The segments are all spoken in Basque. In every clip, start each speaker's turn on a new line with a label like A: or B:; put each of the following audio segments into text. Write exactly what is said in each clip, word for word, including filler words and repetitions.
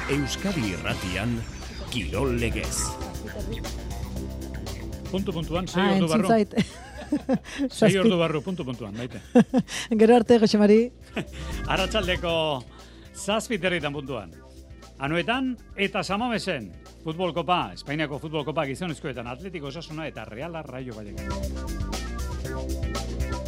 A: Euskadi Irratian, Kirol Legez.
B: Puntu puntuan, sei ordu barru. Sei ordu barru, puntu puntuan, baite.
C: Gero arte, Jose Mari.
B: Arratsaldeko zazpiterritan puntuan. Anuetan eta Samamesen, Futbol Kopa, Espainiako Futbol Kopa gizonezkoetan Atletiko Osasuna eta Reala Rayo Vallecano.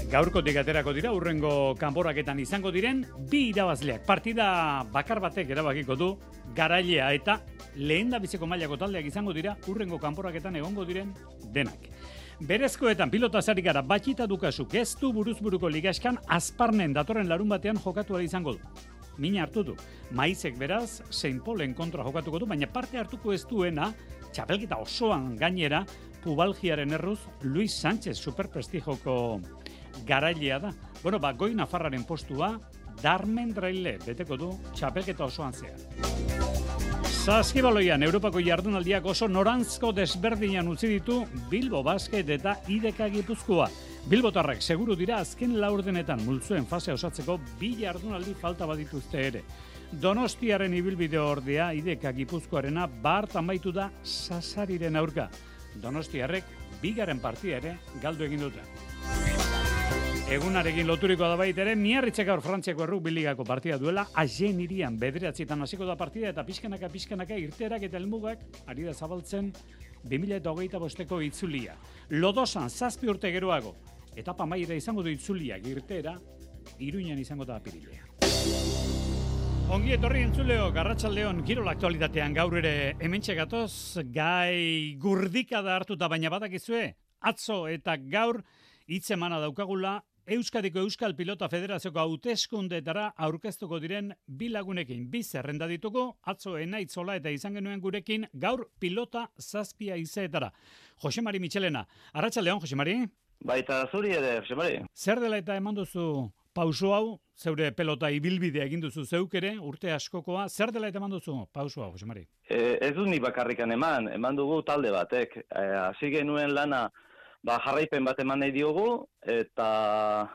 B: Gaurkotik aterako dira, urrengo kanporaketan izango diren bi irabazleak. Partida bakar batek erabakiko du, garailea eta lehendabiziko mailako taldeak izango dira, urrengo kanporaketan egongo diren denak. Berezkoetan pilota zari gara Batxita Dukasuk ez du buruzburuko ligaskan Azparnen datorren larun batean jokatu ahal izango du. Mina hartu du. Maizek beraz, Saint Paulen kontra jokatuko du, baina parte hartuko ez duena, txapelketa osoan gainera, pubalgiaren erruz, Luis Sánchez superprestijoko garailea da. Bueno, ba, goi Nafarraren postua, Darmen Draile beteko du txapelketa osoan zehar. Saskibaloian, Europako jardunaldiak oso norantzko desberdinan utzi ditu Bilbo Basket eta I D K Gipuzkoa. Bilbotarrak seguru dira azken laurdenetan multzuen fase osatzeko bi jardunaldi falta badituzte ere. Donostiaren ibilbide ordea I D K Gipuzkoarena bart amaitu da Sasariren aurka. Donostiarrek bigaren partida ere galdu egin dute. Egunarekin loturiko da baita ere, Miarritzek gaur Frantziako errugbi ligako partida duela, Agen irian bederatzietan hasiko da partida eta pixkanaka pixkanaka irteerak eta helmugak ari da zabaltzen bi mila hogeita bosteko itzulia. Lodosan zazpi urte geroago, etapa amaiera izango du itzuliak irteera, Iruñan izango da apirilea. Ongi etorri entzuleo, Arratsaldeon kirol aktualitatean gaur ere hementxe gatoz, gai gurdika da hartuta baina badakizue, atzo eta gaur hitzemana daukagula Euskadiko Euskal Pilota Federazioko hauteskundeetara aurkeztuko diren bi lagunekin. Bi zerrenda ditugu, atzo Enaitzola eta izan genuen gurekin gaur pilota zazpia izeetara. Jose Mari Michelena, arratsaldeon Jose Mari.
D: Baita zuri ere, Jose Mari.
B: Zer dela eta eman duzu pauso hau, zeure pelota ibilbidea egin duzu zeuk ere, urte askokoa, zer dela eta eman duzu pauso hau, Jose Mari?
D: E, ez du ni bakarrikan eman, eman dugu talde batek. Hasi e, genuen lana Ba, jarraipen bat eman nahi diogu, eta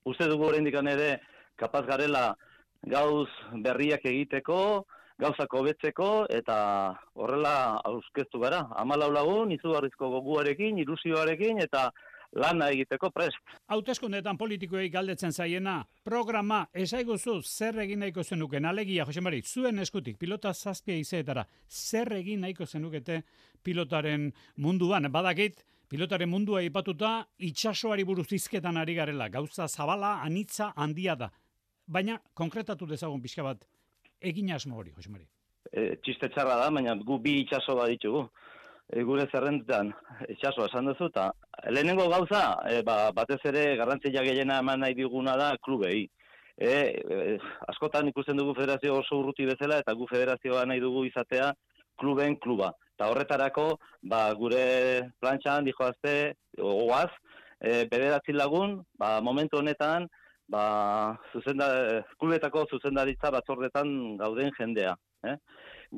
D: uste dugu oraindik ere kapaz garela gauz berriak egiteko, gauzak hobetzeko, eta horrela aurkeztu gara. Hamalau lagun, izugarrizko goguarekin, ilusioarekin, eta lana egiteko prest.
B: Hauteskundeetan politikoei galdetzen zaiena, programa esaiguzu zer egin nahiko zenuken, alegia, Jose Mari, zuen eskutik, pilota zazpia izeetara, zer egin nahiko zenukete pilotaren munduan, badakit, pilotaren mundua aipatuta itsasoari buruz hizketan ari garela. Gauza zabala, anitza, handia da. Baina, konkretatu dezagun pixka bat, egin asmo hori, Jose Mari.
D: E, txiste txarra da, baina gu bi itsaso bat ditugu. E, gure zerrendetan itsasoa esan duzu, eta lehenengo gauza, e, ba, batez ere garrantzia gehiena eman nahi diguna da klubei. E, e, askotan ikusten dugu federazio oso urruti bezala, eta gu federazioa nahi dugu izatea kluben kluba. Eta horretarako, ba, gure plantxan, dijoazte, oaz, e, bederatzi lagun, ba, momentu honetan, ba, zuzenda, klubetako zuzendaritza batzordetan gauden jendea. Eh?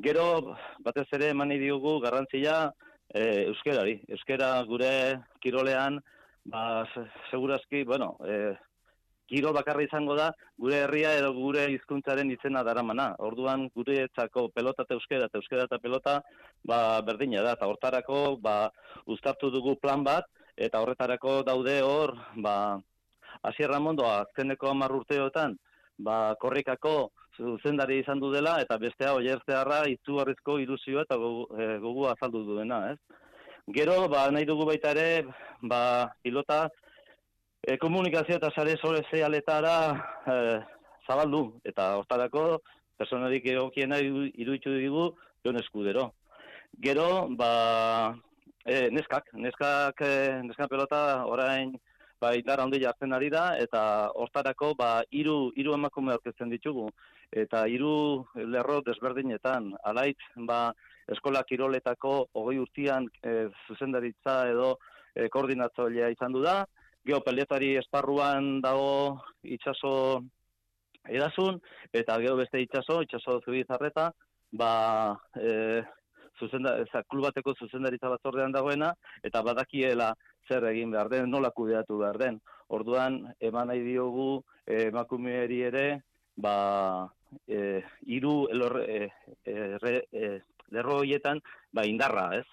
D: Gero, batez ere, eman nahi diogu garrantzia e, euskerari. Euskera gure kirolean, ba, segurazki, bueno, e, kirol bakarra izango da, gure herria edo gure hizkuntzaren izena daramana. Orduan, guretzako pelota eta euskera eta euskera eta pelota ba, berdina da. Eta hortarako ba, uztartu dugu plan bat, eta horretarako daude hor, ba, Asier Ramondoa, azkeneko hamar urteotan, ba, korrikako zuzendari izan du dela, eta bestea oiertzearra izugarrizko ilusio eta gogu, e, gogu azaldu duena. Ez? Gero, ba, nahi dugu baita ere, ba, pilota, E, komunikazio eta sare sozialetara e, zabaldu, eta hortarako personarik egokiena iruditu digu Jon Eskudero. Gero, ba, e, neskak, neskak, e, neskak pelota orain ba, indar handi jartzen ari da, eta hortarako ba, hiru hiru emakume aurkezten ditugu, eta hiru lerro desberdinetan, alaitz, ba, eskola kiroletako hogei urtean e, zuzendaritza edo e, koordinatzailea izan du da, geopeliotari esparruan dago itsaso edasun, eta gero beste itsaso, itsaso Zubizarreta, ba, e, zuzenda, eza, klubateko zuzendaritza batzordean dagoena, eta badakiela zer egin behar den, nola kudeatu behar den. Orduan, eman nahi diogu emakumeari ere, ba, e, hiru elor, e, e, re, e, lerro horietan ba, indarra, ez?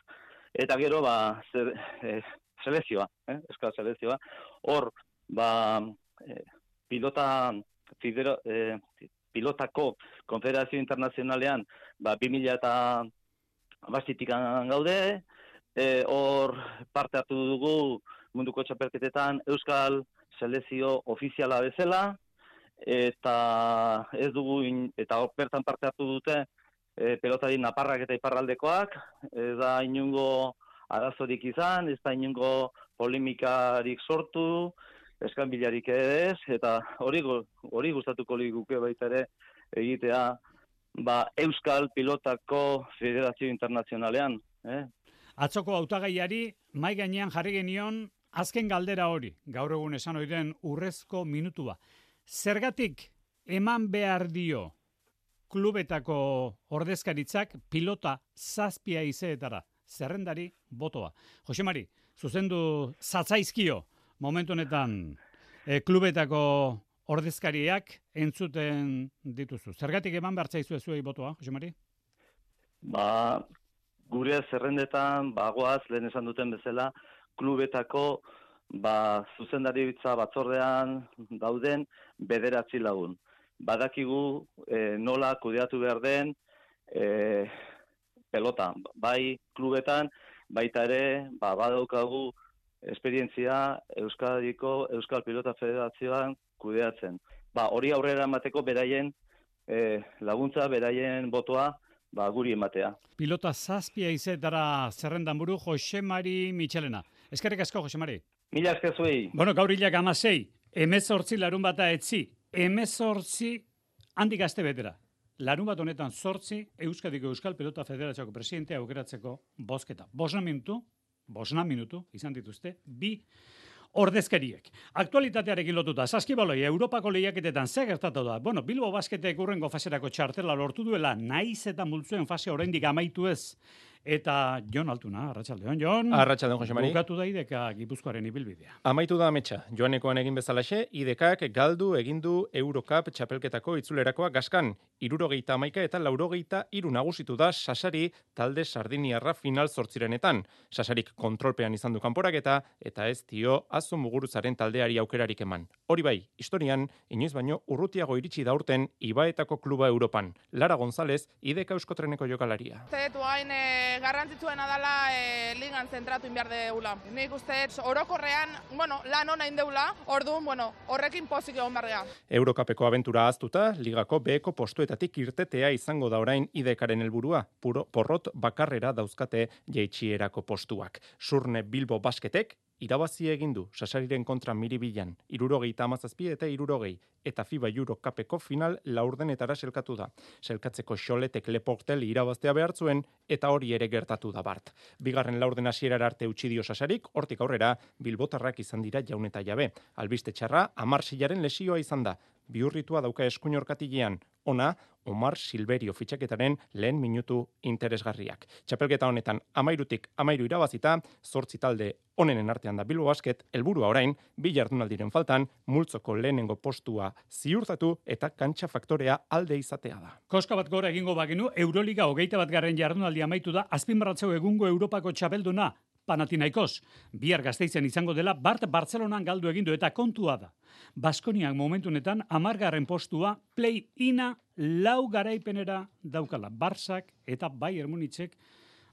D: Eta gero, ba, zer, e, selezioa, eh? Euskal selezioa. Hor, ba, e, pilota, fidero, e, pilotako konfederazio internazionalean, ba, bi mila eta bastitik gaude, hor e, parte hartu dugu munduko txapelketetan Euskal selezio ofiziala bezala, eta ez dugu, in, eta hor bertan parte hartu dute, e, pelotari naparrak eta iparraldekoak, ez da inungo arazorik izan, ez da inungo polemikarik sortu, eskanbilarik ez, eta hori hori gustatuko liguke baita ere egitea ba, Euskal Pilotako Federazio Internazionalean. Eh?
B: Atzoko hautagaiari mai gainean jarri genion azken galdera hori, gaur egun esan oiren urrezko minutua. Zergatik eman behar dio klubetako ordezkaritzak pilota zazpia izeetara, zerrendari botoa. Jose Mari, zuzendu zatzaizkio momentu honetan e, klubetako ordezkariak entzuten dituzu. Zergatik eman behar zaizue zuei botoa, Jose Mari?
D: Ba, gure zerrendetan, bagoaz, lehen esan duten bezala, klubetako ba, zuzendaritza batzordean dauden bederatzi lagun. Badakigu e, nola kudeatu behar den e, pelota. Bai klubetan, baita ere, ba, badaukagu esperientzia Euskadiko Euskal Pilota Federazioan kudeatzen. Ba, hori aurrera emateko beraien e, laguntza, beraien botoa ba, guri ematea.
B: Pilota zazpia izetara zerrendan buru Jose Mari Michelena. Eskerrik asko, Jose Mari.
D: Mila esker zuei.
B: Bueno, gaur hilak amasei, emezortzi larun bata etzi, emezortzi handik aste betera. Larun bat honetan zortzi, Euskadiko Euskal Pelota Federazioko presidentea aukeratzeko bozketa. Bosna minutu, bosna minutu, izan dituzte, bi ordezkariek. Aktualitatearekin lotuta, saskibaloi, Europako lehiaketetan ze gertatu da? Bueno, Bilbo Basketek urrengo faserako txartela lortu duela, naiz eta multzuen fase oraindik amaitu ez. Eta Jon Altuna, arratsaldeon, Jon.
E: Arratsaldeon, Jose Mari.
B: Bukatu da I D K Gipuzkoaren ibilbidea.
E: Amaitu da ametsa. Joanekoan egin bezalaxe, I D Kak galdu egin du Eurocup txapelketako itzulerakoa gaskan. Hirurogeita hamaika eta laurogeita hiru nagusitu da Sasari talde sardiniarra final zortzirenetan. Sasarik kontrolpean izan du kanporaketa eta ez dio Azu Muguruzaren taldeari aukerarik eman. Hori bai, historian, inoiz baino urrutiago iritsi da urten Ibaetako kluba Europan. Lara González, I D K Euskotreneko jokalaria.
F: Garrantzitsuena dela e, ligan zentratu inbiar deula. Nik uste orokorrean, bueno, lan ona indeula, orduan, bueno, horrekin pozik egon bargea.
E: Eurocupeko abentura ahaztuta, ligako beheko postuetatik irtetea izango da orain I D Karen helburua. Puro porrot bakarrera dauzkate jaitsierako postuak. Surne Bilbo Basketek irabazi egin du Sasariren kontra Miribilan, hirurogeita hamazazpi eta hirurogei, eta FIBA Eurocupeko final laurdenetara selkatu da. Selkatzeko Xoletek Leportel irabaztea behar zuen, eta hori ere gertatu da bart. Bigarren laurden hasierara arte utzi dio Sasarik, hortik aurrera bilbotarrak izan dira jaun eta jabe. Albiste txarra, Amar Silaren lesioa izan da. Bihurritua dauka eskuin orkatilean. Ona, Omar Silverio fitxaketaren lehen minutu interesgarriak. Txapelketa honetan amairutik amairu irabazita, zortzi talde onenen artean da Bilbo Basket, helburua orain, bi jardunaldiren faltan, multzoko lehenengo postua ziurtatu eta kantxa faktorea alde izatea da.
B: Koska bat gora egingo bagenu, Euroliga hogeita bat garren jardunaldi amaitu da, azpimarratzeu egungo Europako txapelduna, Panathinaikos, bihar Gasteizen izango dela, Bart Bartzelonan galdu egindu eta kontua da. Baskoniak momentunetan hamargarren postua play-ina lau garaipenera daukala. Barsak eta Bayern Munichek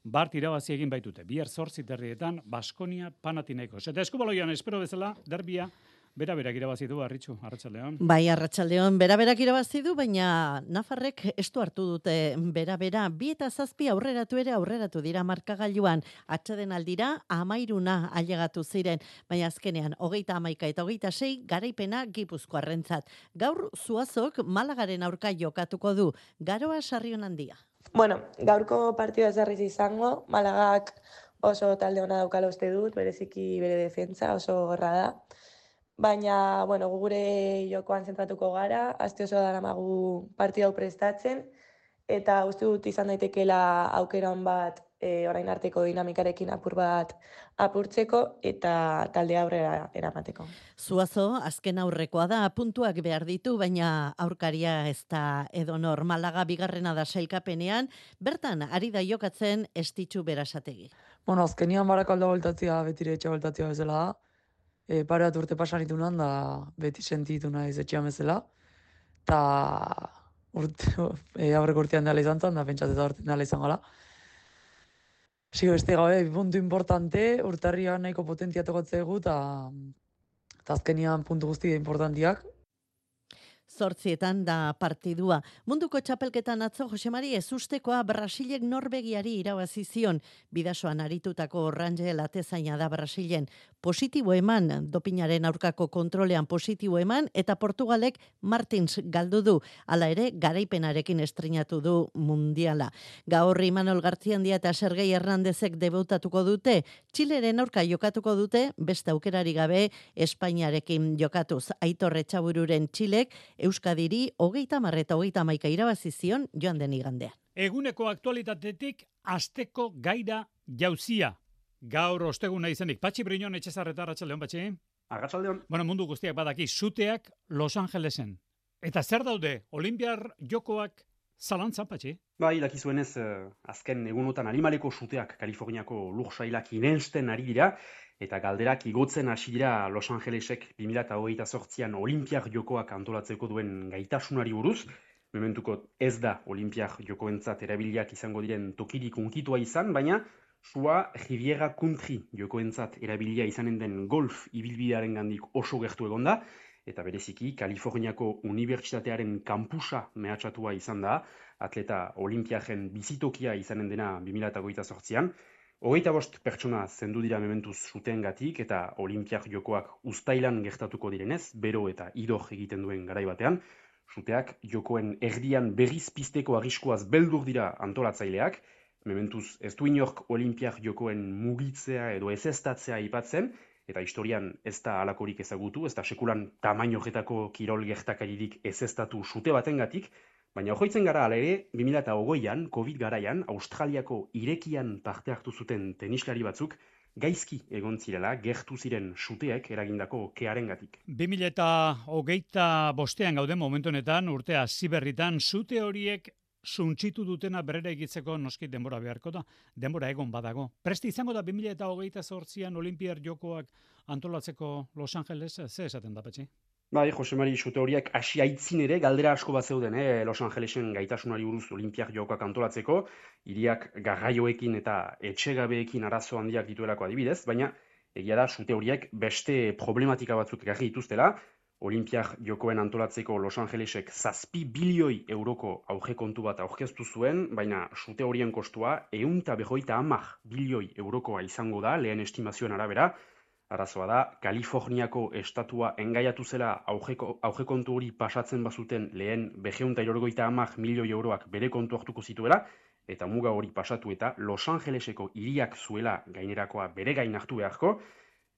B: Bart irabazi egin baitute. Bihar zortzi terrietan Baskonia Panathinaikos. Eta eskubaloian espero bezala, derbia bera-berak irabazi du, Arritxu, Arratsaldeon.
C: Bai, Arratsaldeon, bera-berak irabazi du, baina Nafarrek estu hartu dute bera-bera. Bi eta zazpi aurreratu ere aurreratu dira markagailuan. Atxeden aldira, amairuna ailegatu ziren, baina azkenean, hogeita hamaika eta hogeita sei garaipena Gipuzkoarrentzat. Gaur Zuazok Malagaren aurka jokatuko du. Garoa Sarrion handia.
G: Bueno, gaurko partida ez berriz izango, Malagak oso talde ona daukala uste dut, bereziki bere defentsa oso gorra da. Baina, bueno, gure jokoan zentratuko gara, aste oso daramagu partida hau prestatzen, eta uste dut izan daitekeela aukera on bat e, orain arteko dinamikarekin apur bat apurtzeko eta talde aurrera eramateko.
C: Zuazo, azken aurrekoa da, puntuak behar ditu, baina aurkaria ez da edonor. Malaga bigarrena da sailkapenean, bertan ari da jokatzen Estitxu Berasategi.
H: Bueno, azkenian Barakaldo voltatzea betire etxe voltatzea bezala da. E, pare bat urte pasan itunan da beti sentitu naiz etxean bezala. Ta urte, e, aurreko urtean dela izan zen, da pentsat eta urtean dela izan gala. Sigo beste gabe, puntu importante, urtarrian nahiko potentia tokatzegu, eta azkenian puntu guzti importantiak.
C: Zortzietan da partidua. Munduko txapelketan atzo Josemari ezustekoa Brasilek Norvegiari irabazi zion. Bidasoan aritutako Rangel atezaina da Brasilen. Positibo eman, dopinaren aurkako kontrolean positibo eman, eta Portugalek Martins galdu du. Hala ere, garaipenarekin estrenatu du mundiala. Gaur Imanol Gartziandia eta Sergei Hernandezek debutatuko dute. Txileren aurka jokatuko dute, beste aukerari gabe Espainiarekin jokatuz. Aitor Etxabururen Txilek Euskadiri hogeita hamar eta hogeita hamaika irabazi zion joan den igandean.
B: Eguneko aktualitatetik asteko gaira jauzia. Gaur osteguna izenik. Patxi Briñon Etxezarreta, arratsaldeon, Patxi.
I: Arratsaldeon.
B: Bueno, mundu guztiak badaki, suteak Los Angelesen. Eta zer daude, Olimpiar jokoak zalantzan, Patxi?
I: Bai, dakizuenez, eh, azken egunotan animaleko suteak Kaliforniako lursailak irensten ari dira, eta galderak igotzen hasi dira Los Angelesek bi mila hogeita zortzian Olimpiar jokoak antolatzeko duen gaitasunari buruz. Mementuko ez da Olimpiar jokoentzat erabiliak izango diren tokirik unkitua izan, baina sua Riviera Country jokoentzat erabilia izanen den golf ibilbidearen gandik oso gertu egonda, eta bereziki Kaliforniako Unibertsitatearen kampusa mehatxatua izan da, atleta Olimpiaren bizitokia izanen dena bi mila hogeita zortzian, Hogeita bost pertsona zendu dira mementuz suteengatik eta Olimpiar jokoak uztailan gertatuko direnez, bero eta idor egiten duen garai batean, suteak jokoen erdian berriz pizteko arriskuaz beldur dira antolatzaileak, mementuz ez du inork Olimpiar jokoen mugitzea edo ezeztatzea aipatzen, eta historian ez da halakorik ezagutu, ez da sekulan tamaino horretako kirol gertakaririk ezeztatu sute batengatik, baina hojoitzen gara ala ere, bi mila hogeian, Covid garaian, Australiako irekian parte hartu zuten tenislari batzuk, gaizki egon zirela, gertu ziren suteek eragindako kearengatik.
B: bi mila hogeita bostean gauden momentu honetan, urtea ziberritan, sute horiek suntsitu dutena berrera egitzeko noski denbora beharko da, denbora egon badago. Presti izango da bi mila hogeita zortzian Olimpiar jokoak antolatzeko Los Angeles, ze esaten da, Patxi?
I: Bai, Josemari, sute horiek hasi aitzin ere galdera asko bat zeuden, eh? Los Angelesen gaitasunari buruz Olimpiar jokoak antolatzeko, hiriak garraioekin eta etxegabeekin arazo handiak dituelako adibidez, baina egia da sute horiek beste problematika batzuk ekarri dituztela. Olimpiar jokoen antolatzeko Los Angelesek zazpi bilioi euroko aurrekontu bat aurkeztu zuen, baina sute horien kostua ehun eta berrogeita hamar bilioi eurokoa izango da, lehen estimazioen arabera. Arazoa da, Kaliforniako estatua engaiatu zela aurrekontu hori pasatzen bazuten lehen berrehun eta hirurogeita hamar milioi euroak bere kontu hartuko zituela, eta muga hori pasatu eta Los Angeleseko hiriak zuela gainerakoa bere gain hartu beharko,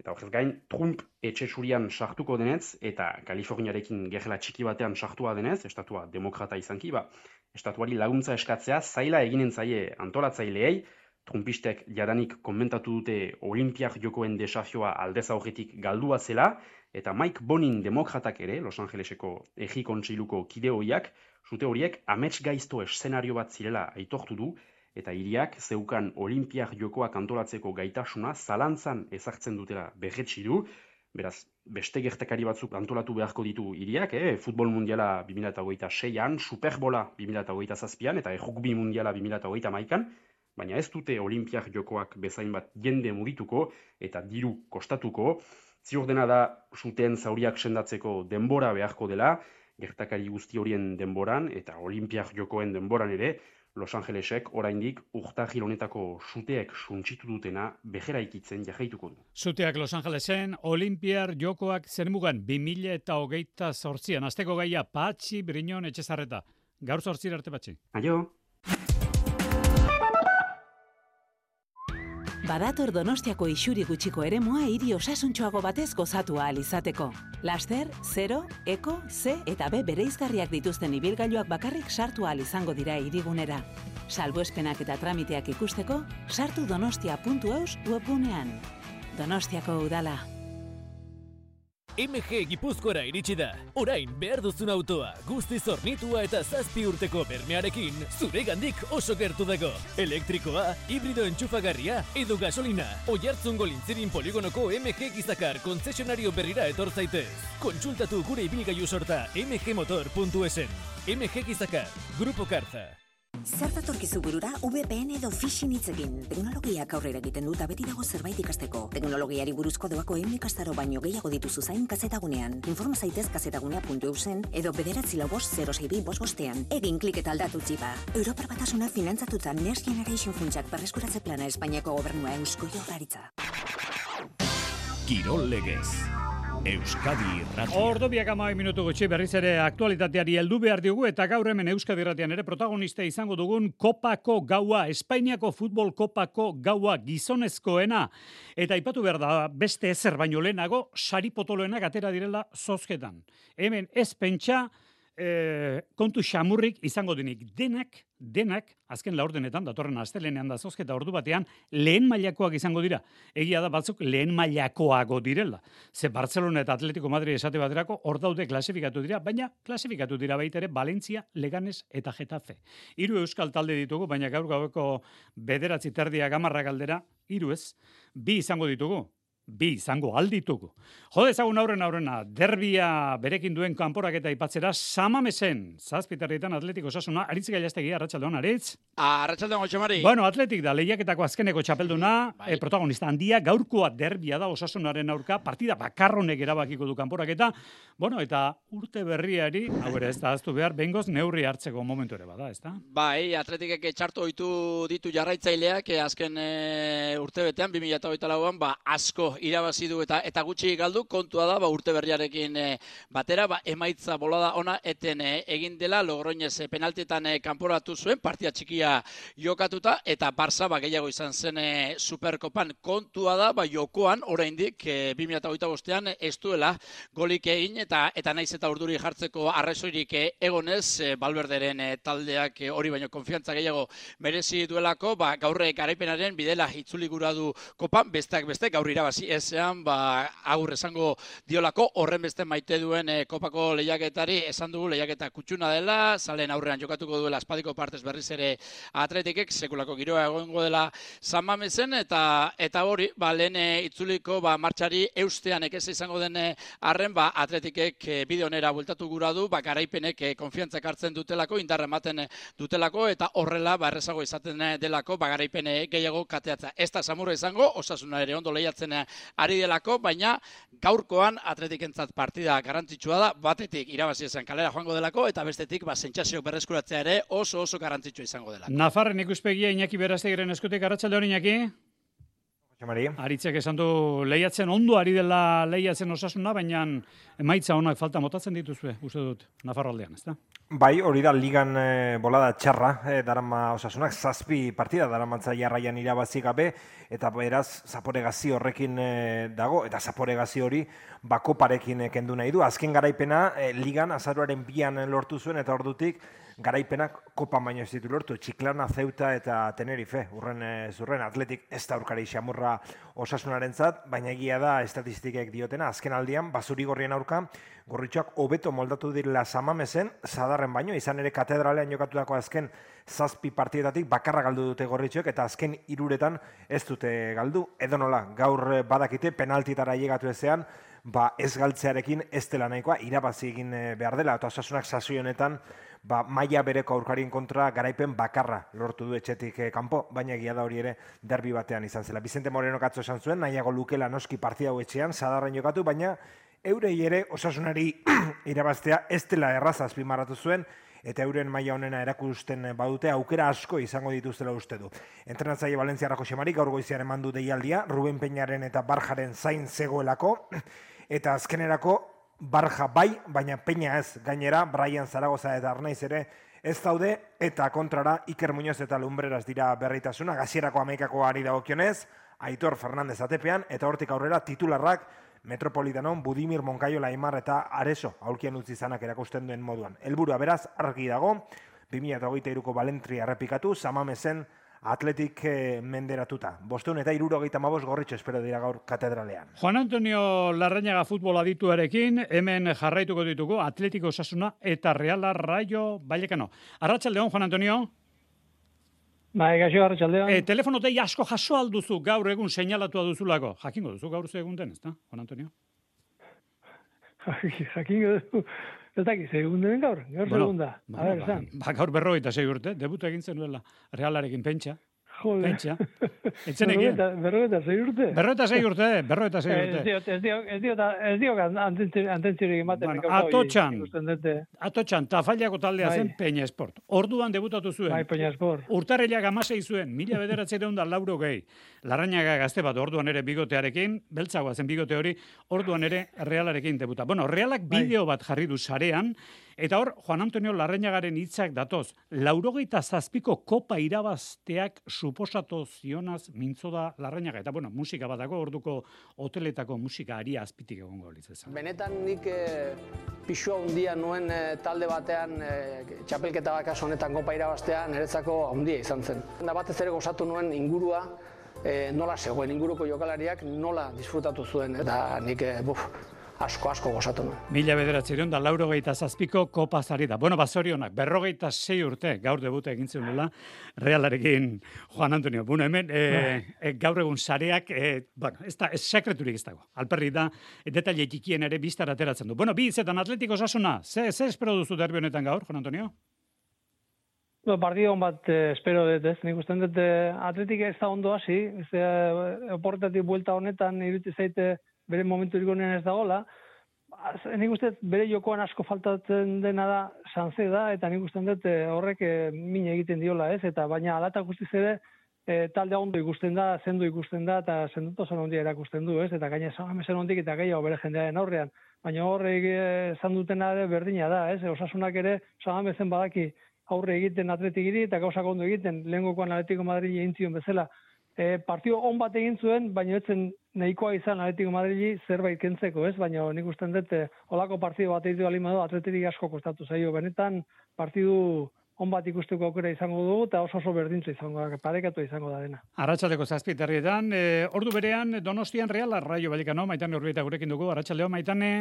I: eta horrez gain Trump etxe zurian sartuko denez, eta Kaliforniarekin gerla txiki batean sartua denez, estatua demokrata izanki, ba, estatuari laguntza eskatzea zaila eginen zaie antolatzaileei. Trumpistek jadanik komentatu dute Olimpiar jokoen desafioa aldez aurretik galdua zela, eta Mike Bonin demokratak ere, Los Angeleseko egi kontseiluko kide horiak, sute horiek amets gaizto eszenario bat zirela aitortu du, eta hiriak zeukan Olimpiar jokoak antolatzeko gaitasuna zalantzan ezartzen dutela berretsi du. Beraz, beste gertakari batzuk antolatu beharko ditu hiriak, eh? Futbol mundiala bi mila hogeita seian, Superbola bi mila hogeita zazpian, eta rugby mundiala bi mila hogeita hamaikan, baina ez dute Olimpiar jokoak bezain bat jende mugituko eta diru kostatuko. Ziur dena da suteen zauriak sendatzeko denbora beharko dela, gertakari guzti horien denboran eta Olimpiar jokoen denboran ere, Los Angelesek oraindik urtarril honetako suteek suntsitu dutena beheraikitzen jarraituko du.
B: Suteak Los Angelesen, Olimpiar jokoak zermugan bi mila hogeita zortzian. Asteko gaia Patxi Briñon Etxezarreta. Gaur zortzira arte, Patxi.
I: Aio!
J: Badator Donostiako isuri gutxiko eremua hiri osasuntxoago batez gozatu ahal izateko. Laster, zero, eko, C eta B bereizgarriak dituzten ibilgailuak bakarrik sartu ahal izango dira hirigunera. Salbuespenak eta tramiteak ikusteko, sartu donostia puntu eus webgunean. Donostiako udala.
K: M G Gipuzkoara iritsi da. Orain behar duzun autoa, guztiz hornitua eta zazpi urteko bermearekin, zuregandik oso gertu dago. Elektrikoa, hibrido entxufagarria edo gasolina. Oiartzungo Lintzirin poligonoko M G Gizakar kontzesionario berrira etor zaitez. Kontsultatu gure ibilgailu sorta m g motor puntu esen. M G Gizakar, Grupo Karza.
L: Zer datorkizu burura V P N edo phishing hitzekin. Teknologiak aurrera egiten dut beti dago zerbait ikasteko. Teknologiari buruzko doako ehun ikastaro baino gehiago dituzu zain kazetagunean. Informa zaitez kazetagunea puntu eusen edo bederatzi lau bost zero sei bi bost bostean. Egin klik eta aldatu txipa. Europar Batasuna finantzatuta Next Generation funtsak berreskuratze plana Espainiako gobernua Eusko Jaurlaritza.
A: Kirol legez. Euskadi Irratia.
B: Ordu biak hamabi minutu gutxi berriz ere aktualitateari heldu behar diogu eta gaur hemen Euskadi Irratian ere protagonista izango dugun Kopako gaua, Espainiako futbol Kopako gaua gizonezkoena. Eta aipatu behar da beste ezer baino lehenago sari potoloenak atera direla zozketan. Hemen ez pentsa E, kontu xamurrik izango denik. Denak, denak, azken laurdenetan, datorren astelenean da zozketa ordu batean, lehen mailakoak izango dira. Egia da batzuk lehen mailakoago direla. Ze Barcelona eta Atletico Madrid esate baterako hor daude klasifikatu dira, baina klasifikatu dira baita ere Valencia, Leganes eta Getafe. Hiru euskal talde ditugu, baina gaur gaueko bederatzi terdia gamarra galdera, hiru ez, bi izango ditugu. Bi izango alditugu. Jode ezagun aurren aurrena, derbia berekin duen kanporaketa aipatzera Samamesen, zazpiterrietan Atletik Osasuna, Aritz Gailastegi, arratsaldeon, Aritz.
M: Arratsaldeon, Gotxamari.
B: Bueno, Atletik da, lehiaketako azkeneko txapelduna, bai. e, protagonista handia, gaurkoa derbia da Osasunaren aurka, partida bakarronek erabakiko du kanporaketa, bueno, eta urte berriari, hau ere ez da aztu behar, behingoz neurri hartzeko momentu ere bada, ez da?
M: Bai, Atletikek txarto ohitu ditu jarraitzaileak, azken e, urte betean, bi mila hogeita lauan, ba, asko irabazi du eta eta gutxi galdu, kontua da ba urte berriarekin e, batera ba emaitza bolada ona eten e, egin dela Logroñez e, penaltietan e, kanporatu zuen partia txikia jokatuta eta Barça ba gehiago izan zen e, Superkopan. Kontua da ba jokoan oraindik e, bi mila hogeita bostean ez duela golik egin eta eta naiz eta urduri jartzeko arrazoirik e, egonez e, Valverderen e, taldeak e, hori baino konfiantza gehiago merezi duelako, ba gaurre garaipenaren bidela itzuli gura du kopan, besteak beste gaur irabazi ezean, ba, agur esango diolako, horren beste maite duen e, kopako lehiaketari, esan dugu lehiaketa kutsuna dela, zalen aurrean jokatuko duela espadiko partez berriz ere Atletikek, sekulako giroa egongo dela San Mamesen, eta eta hori, ba, lehen e, itzuliko ba, martxari eustean ekez izango den arren, ba, Atletikek e, bideonera bueltatu gura du, ba, garaipenek e, konfiantzak hartzen dutelako, indarra ematen dutelako, eta horrela, ba, errezago izaten delako, ba, garaipene gehiago kateatza. Ez da samurra izango, Osasuna ere ondo lehiatzen ari delako, baina gaurkoan Atletikentzat partida garrantzitsua da, batetik irabazi esan kalera joango delako, eta bestetik ba, sentsazioak berreskuratzea ere oso oso garrantzitsua izango delako.
B: Nafarren ikuspegia Iñaki Berastegiren eskutik, arratsaldeon Iñaki. Aritzek esan du lehiatzen, ondo ari dela lehiatzen Osasuna, baina emaitza honak falta motatzen dituzue, uste dut, Nafarraldean, ezta?
N: Bai, hori da ligan e, bolada txarra, e, darama Osasunak, zazpi partida daramantza jarraian irabazi gabe, eta beraz, zaporegazi horrekin e, dago, eta zaporegazi hori bakoparekin e, kendu nahi du. Azken garaipena, e, ligan azaruaren bian lortu zuen, eta ordutik garaipenak kopa baino ez ditu lortu. Txiklana, Ceuta eta Tenerife, urren e, zurren Atletik ez da aurkari xamurra Osasunarentzat, baina egia da estatistikek diotena, azken aldian, basuri gorrien aurka, gorritxoak hobeto moldatu direla Samamesen, Zadarren baino, izan ere katedralean jokatutako azken zazpi partietatik bakarra galdu dute gorritxoek, eta azken hiruretan ez dute galdu. Edo nola, gaur badakite penaltitara llegatu ezean, ba ez galtzearekin ez dela nahikoa, irabazi egin behar dela, eta Osasunak sasoi honetan, ba, maila bereko aurkarien kontra garaipen bakarra lortu du etxetik eh, kanpo, baina egia da hori ere derbi batean izan zela. Vicente Moreno katzo esan zuen, nahiago lukela noski partida hau etxean, Zadarren jokatu, baina eurei ere Osasunari irabaztea ez dela erraza azpimarratu zuen, eta euren maila honena erakusten badute aukera asko izango dituztela uste du. Entrenatzaile Valentziarrako Xemari gaur goizean eman du deialdia, Ruben Peñaren eta Barjaren zain zegoelako, eta azkenerako Barja bai, baina Peña ez, gainera, Brian Zaragoza eta Arnaiz ere ez daude, eta kontrara Iker Muñoz eta Lumbreras dira berritasuna, gazierako hamaikako ari dagokionez, Aitor Fernandez atepean, eta hortik aurrera titularrak Metropolitanon, Budimir, Monkaiola, Aimar eta Areso aulkian utzi zanak erakusten duen moduan. Helburua beraz argi dago, bi mila hogeita hiruko Balentria errepikatu, Samamezen Atletik eh, menderatuta. Bostehun eta hirurogeita hamabost gorritxo espero dira gaur katedralean.
B: Juan Antonio Larrañaga futbol adituarekin, hemen jarraituko ditugu Atletiko Osasuna eta Reala Rayo Vallecano. Arratsaldeon, Juan Antonio.
O: Bai, gaixo arratsaldeon.
B: E, telefono dei asko jaso alduzu gaur egun seinalatua duzulako. Jakingo duzu gaur ze egun den, ezta, Juan Antonio?
O: Jakingo duzu. Ez dakiz, egun den gaur, gaur bueno, segunda.
B: Bueno, a ver, ba, ba, gaur berrogeita sei urte, debuta egin zenuela Realarekin pentsa.
O: Joder.
B: Pentsa. Etzenekien.
O: Berrogeita sei urte.
B: Berrogeita sei urte, berrogeita sei urte.
O: Ez dio, ez dio, ez dio, ez dio antentziorik ematen.
B: Bueno, atotxan, atotxan, Tafallako taldea bai. Zen Peña Esport. Orduan debutatu zuen.
O: Bai, Peña Esport.
B: Urtarrilak hamasei zuen, mila bederatziehun eta laurogei. Larrañaga gazte bat, orduan ere bigotearekin, beltzagoa zen bigote hori, orduan ere Realarekin debuta. Bueno, Realak bideo bat jarri du sarean, eta hor, Juan Antonio Larrañagaren hitzak datoz, laurogeita zazpiko kopa irabazteak suposatu zionaz mintzo da Larrañaga. Eta, bueno, musika bat dago, orduko hoteletako musika aria azpitik egongo litzezan.
P: Benetan nik e, pixua hundia nuen e, talde batean, e, txapelketa bat kasu honetan kopa irabaztean, niretzako handia izan zen. Da batez ere gozatu nuen ingurua, e, nola zegoen, inguruko jokalariak nola disfrutatu zuen, eta nik, e, buf, asko, asko gozatu nuen.
B: Mila bederatziehun eta laurogeita zazpiko kopa zari da. Bueno, bazorionak, berrogeita sei urte gaur debuta egin zuela Realarekin Juan Antonio. Bueno, hemen e, e, gaur egun sareak, e, bueno, ez da, ez sekreturik ez dago. Alperri da, detaile txikien ere biztara ateratzen du. Bueno, bi hitzetan Atletiko Osasuna, ze, ze espero duzu derbi honetan gaur, Juan Antonio?
O: No, partido on bat eh, espero dut, ez? Nik usten dut eh, Atletik ez da ondo hasi, ez eh, oportatik buelta honetan iruti zaite bere momentu irgonean ez dagoela. Nik uste bere jokoan asko faltatzen dena da Sanze da, eta nik uste dut horrek e, min egiten diola, ez? Eta baina alata guztiz ere e, talde ondo ikusten da, zendu ikusten da, eta zenduto zen ondia erakusten du, ez? Eta gaina Samamezen ondik eta gehiago bere jendearen aurrean. Baina horrek esan dutena ere berdina da, ez? Osasunak ere Samamezen badaki aurre egiten Atletikiri eta gauzak ondo egiten, lehengokoan Atletico Madrid egin zion bezala. E, partio on bat egin zuen, baina etzen nahikoa izan Atletico Madridi zerbait kentzeko, ez? Baina nik usten dut, holako partidu bat egitu alimado, Atletirik asko kostatu zaio. Benetan, partidu on bat ikusteko aukera izango dugu, eta oso oso berdintza izango da, parekatu izango da dena.
B: Arratxaldeko zazpiterrietan, e, ordu berean Donostian Reala Rayo Vallecano, Maitane Urbieta gurekin dugu, arratsaldeo Maitane.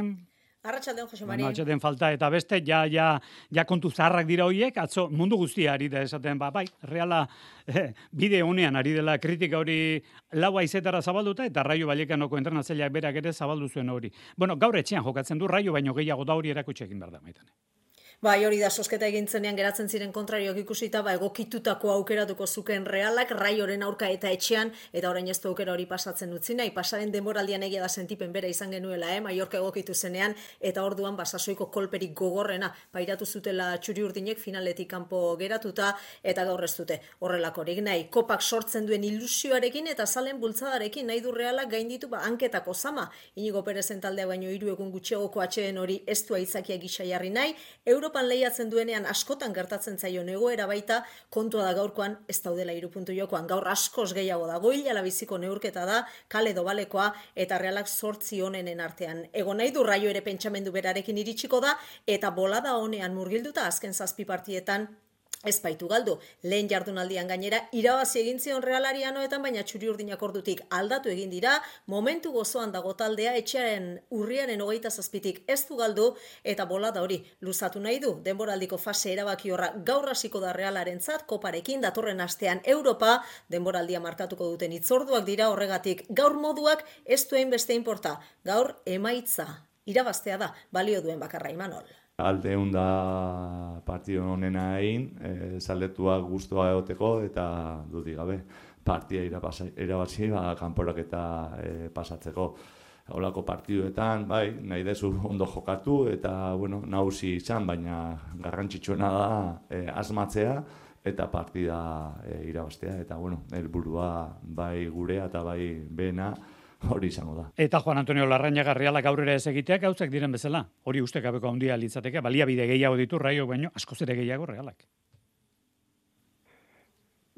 Q: Arratsaldeon, Jose Mari.
B: Atxeden falta eta beste, ja, ja, ja kontu zaharrak dira horiek, atzo mundu guztia ari da esaten, ba, bai, Reala eh, bide honean ari dela kritika hori laua izetara zabalduta, eta Rayo Vallecanoko entrenatzaileak berak ere zabaldu zuen hori. Bueno, gaur etxean jokatzen du, Rayo baino gehiago da hori erakutsi egin behar da, Maitane.
Q: Bai, hori da, sosketa egin zenean geratzen ziren kontrarioak ikusita, ba, egokitutako aukeratuko zuken Realak, Raioren aurka eta etxean, eta orain ez du aukera hori pasatzen utzi nahi, pasaren denboraldian egia da sentipen bera izan genuela, eh? Mallorca egokitu zenean, eta orduan basasoiko kolperik gogorrena, pairatu zutela txuri urdinek finaletik kanpo geratuta, eta gaur ez dute horrelakorik nahi. Kopak sortzen duen ilusioarekin eta zalen bultzadarekin nahi du Realak gainditu, ba, hanketako zama, Inigo Perezen taldea baino hiru egun gutxiagoko atxeen hori ez du aitzakia gisa jarri nahi, Europan lehiatzen duenean askotan gertatzen zaion egoera baita, kontua da gaurkoan ez daudela hiru puntu jokoan, gaur askoz gehiago da, goila labiziko neurketa da, kale dobalekoa eta Realak zortzi honenen artean. Egon nahi du Raio ere pentsamendu berarekin iritsiko da, eta bolada honean murgilduta azken zazpi partietan ez baitu galdu. Lehen jardunaldian gainera irabazi egin zion Realari anoetan, baina txuri urdinak ordutik aldatu egin dira, momentu gozoan dago taldea, etxearen urriaren hogeita zazpitik ez du galdu, eta bolada hori luzatu nahi du. Denboraldiko fase erabaki horra gaur hasiko da Realarentzat, koparekin datorren astean Europa, denboraldia markatuko duten hitzorduak dira, horregatik gaur moduak ez duen beste inporta. Gaur emaitza irabaztea da, balio duen bakarra, Imanol.
R: Alde egun da partio honena egin, e, zaldetuak guztua egoteko eta dudik gabe partia irabazi, ba, kanporak eta e, pasatzeko. Holako partiduetan, bai, nahi dezu ondo jokatu eta, bueno, nagusi izan, baina garrantzitsuena da e, asmatzea eta partida e, irabaztea. Eta, bueno, helburua bai gurea eta bai bena, hori izango da.
B: Eta Juan Antonio Larrañaga Realak aurrera ez egiteak gauzak diren bezala. Hori ustekabeko handia litzateke, baliabide gehiago ditu Raio baino, askoz ere gehiago Realak.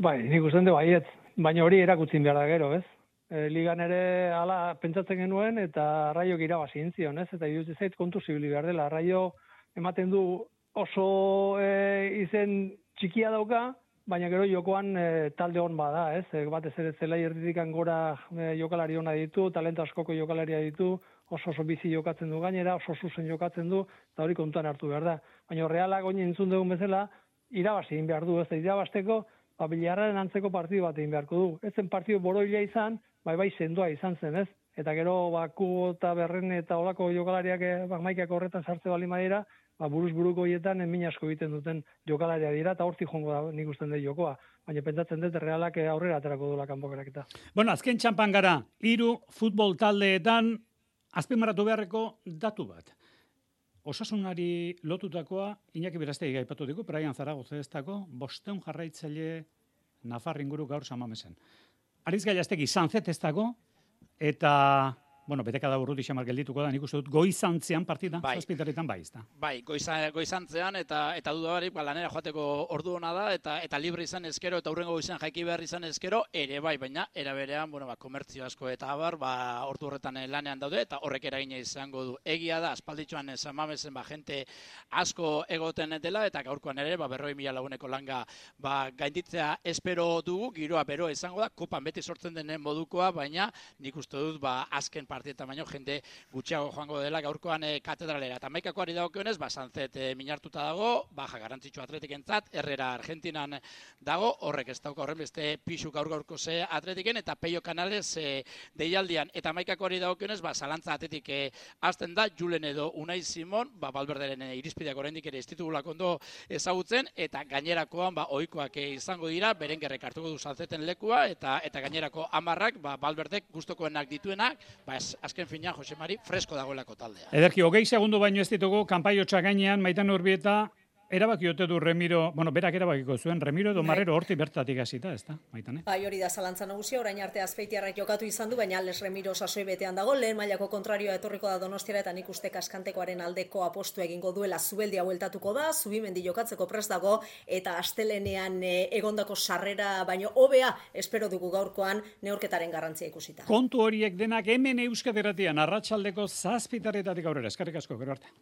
O: Bai, nik usten du baiet, baina hori erakutzin behar da gero, ez? e, ligan ere hala pentsatzen genuen, eta Raiok irabazi intzion, ez? Eta iruditzen zait kontu zibili behar dela. Raio ematen du oso e, izen txikia dauka, baina gero jokoan e, talde hon bada, ez? E, batez ere zelai erditikan gora e, jokalari ona ditu, talento askoko jokalaria ditu, oso oso bizi jokatzen du gainera, oso zuzen jokatzen du, eta hori kontuan hartu behar da. Baina Realak oin entzun dugun bezala, irabazi egin behar du, ez da irabasteko, ba, Bilarraren antzeko partidu bat egin beharko du. Ez zen partidu boroila izan, bai bai sendoa izan zen, ez? Eta gero, ba, Kubo eta Berren eta olako jokalariak ba, maikak horretan sartze bali madira, ba, buruz buruko hietan min asko egiten duten jokalaria dira, eta hortik jongo da nik usten dut jokoa. Baina pentsatzen dut Realak aurrera aterako duela kanpokeraketa.
B: Bueno, azken txampan gara, hiru futbol taldeetan azpimarratu beharreko datu bat. Osasunari lotutakoa, Iñaki Berastegi aipatu digu, Brian Zaragoza ez dago, bosteun jarraitzaile Nafar inguru gaur Samamesen. Ariz Gaiastegi Sanzet ez dago, eta, bueno, beteka da urruti xamar geldituko da, nik uste dut goizantzean partida, bai. Zazpitaretan bai, ez da.
M: Bai, goiza, goizantzean, eta eta duda barik, ba, lanera joateko ordu hona da, eta eta libre izan ezkero, eta hurrengo goizan jaiki behar izan ezkero, ere bai, baina, era berean, bueno, ba, komertzio asko eta abar, ba, ordu horretan lanean daude, eta horrek eragina izango du. Egia da, aspalditxoan Samamesen, ba, jente asko egoten dela, eta gaurkoan ere, ba, berroi mila laguneko langa, ba, gainditzea espero dugu, giroa beroa izango da, kopan beti sortzen denen modukoa, baina nik uste dut, ba, azken partietan baino jende gutxiago joango dela gaurkoan e, katedralera. Eta maikakoari dagokionez, ba, Sanzet e, minartuta dago, baja garantzitsu atletikentzat, Herrera Argentinan dago, horrek ez dauka horren beste pixu gaur gaurko ze atletiken, eta Peio Canales e, deialdian. Eta maikakoari dagokionez, ba, zalantza atletik e, azten da, Julen edo Unai Simon, ba, Balberderen e, irizpideak oraindik ere institugulak ondo ezagutzen, eta gainerakoan, ba, ohikoak e, izango dira, berengerrek hartuko du Sanzeten lekua, eta eta gainerako hamarrak, ba, Balberdek gustokoenak dituenak, ba, azken fina, Jose Mari, fresko dagoelako taldea.
B: Ederki, hogei segundu baino ez ditugu, kanpaiotxa gainean, Maitan Urbieta, erabaki ote du Remiro, bueno, berak erabakiko zuen, Remiro edo Marrero horti bertatik hasita, ez da, Maitane?
Q: Bai, hori da zalantza nagusia, orain arte Azpeitiarrak jokatu izan du, baina Ales Remiro sasoi betean dago, lehen mailako kontrarioa etorriko da Donostiara, eta nik uste kaskantekoaren aldeko apostu egingo duela, Zubeldia bueltatuko da, Zubimendi jokatzeko prest dago, eta astelenean e, egondako sarrera, baino hobea espero dugu gaurkoan neurketaren garrantzia ikusita.
B: Kontu horiek denak hemen Euskadi Irratian, arratsaldeko zazpitaretatik aurrera, eskerrik asko, gero arte.